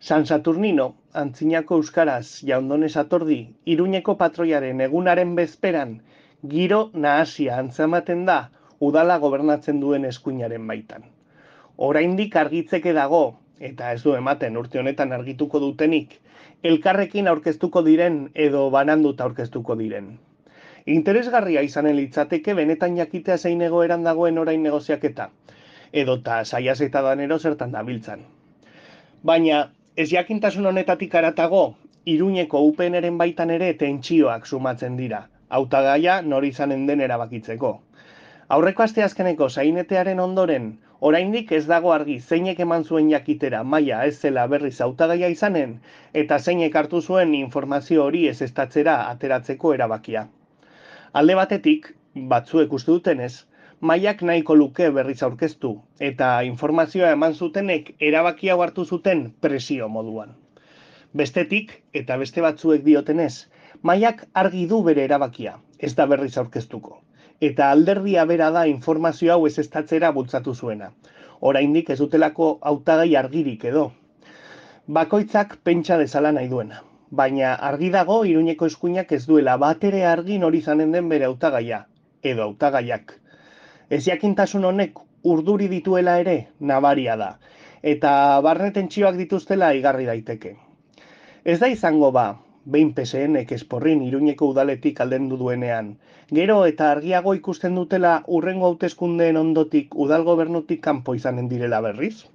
San Saturnino, antzinako euskaraz jaundones atordi, Iruñeko patroiaren egunaren bezperan, giro nahasia antzematen da udala gobernatzen duen eskuinaren baitan. Oraindik argitzeke dago, eta ez du ematen urte honetan argituko dutenik, elkarrekin aurkeztuko diren edo bananduta aurkeztuko diren. Interesgarria izanen litzateke benetan jakitea zein egoeran dagoen orain negoziaketa, edota saiaz eta danero zertan dabiltzan. Baina, ez jakintasun honetatik haratago, Iruñeko UPNren baitan ere tentsioak sumatzen dira, hautagaia nor izanen den erabakitzeko. Aurreko asteazkeneko sainetearen ondoren, oraindik ez dago argi zeinek eman zuen jakitera maila ez zela berriz hautagaia izanen, eta zeinek hartu zuen informazio hori ezeztatzera ateratzeko erabakia. Alde batetik, batzuek uste dutenez, Maiak nahiko luke berriz aurkeztu, eta informazioa eman zutenek erabaki hau hartu zuten presio moduan. Bestetik, eta beste batzuek diotenez, Maiak argi du bere erabakia, ez da berriz aurkeztuko. Eta alderdia bera da informazio hau ezeztatzera bultzatu zuena. Oraindik ez dutelako hautagai argirik edo. Bakoitzak pentsa dezala nahi duena. Baina argi dago Iruñeko eskuinak ez duela batere argi nori izanen den bere hautagaia, edo hautagaiak. Ez jakintasun honek urduri dituela ere nabaria da, eta barne tentsioak dituztela igarri daiteke. Ez da izango ba, behin PSNek esporrin Iruñeko udaletik aldendu duenean, gero eta argiago ikusten dutela urrengo hauteskundeen ondotik udal gobernutik kanpo izanen direla berriz?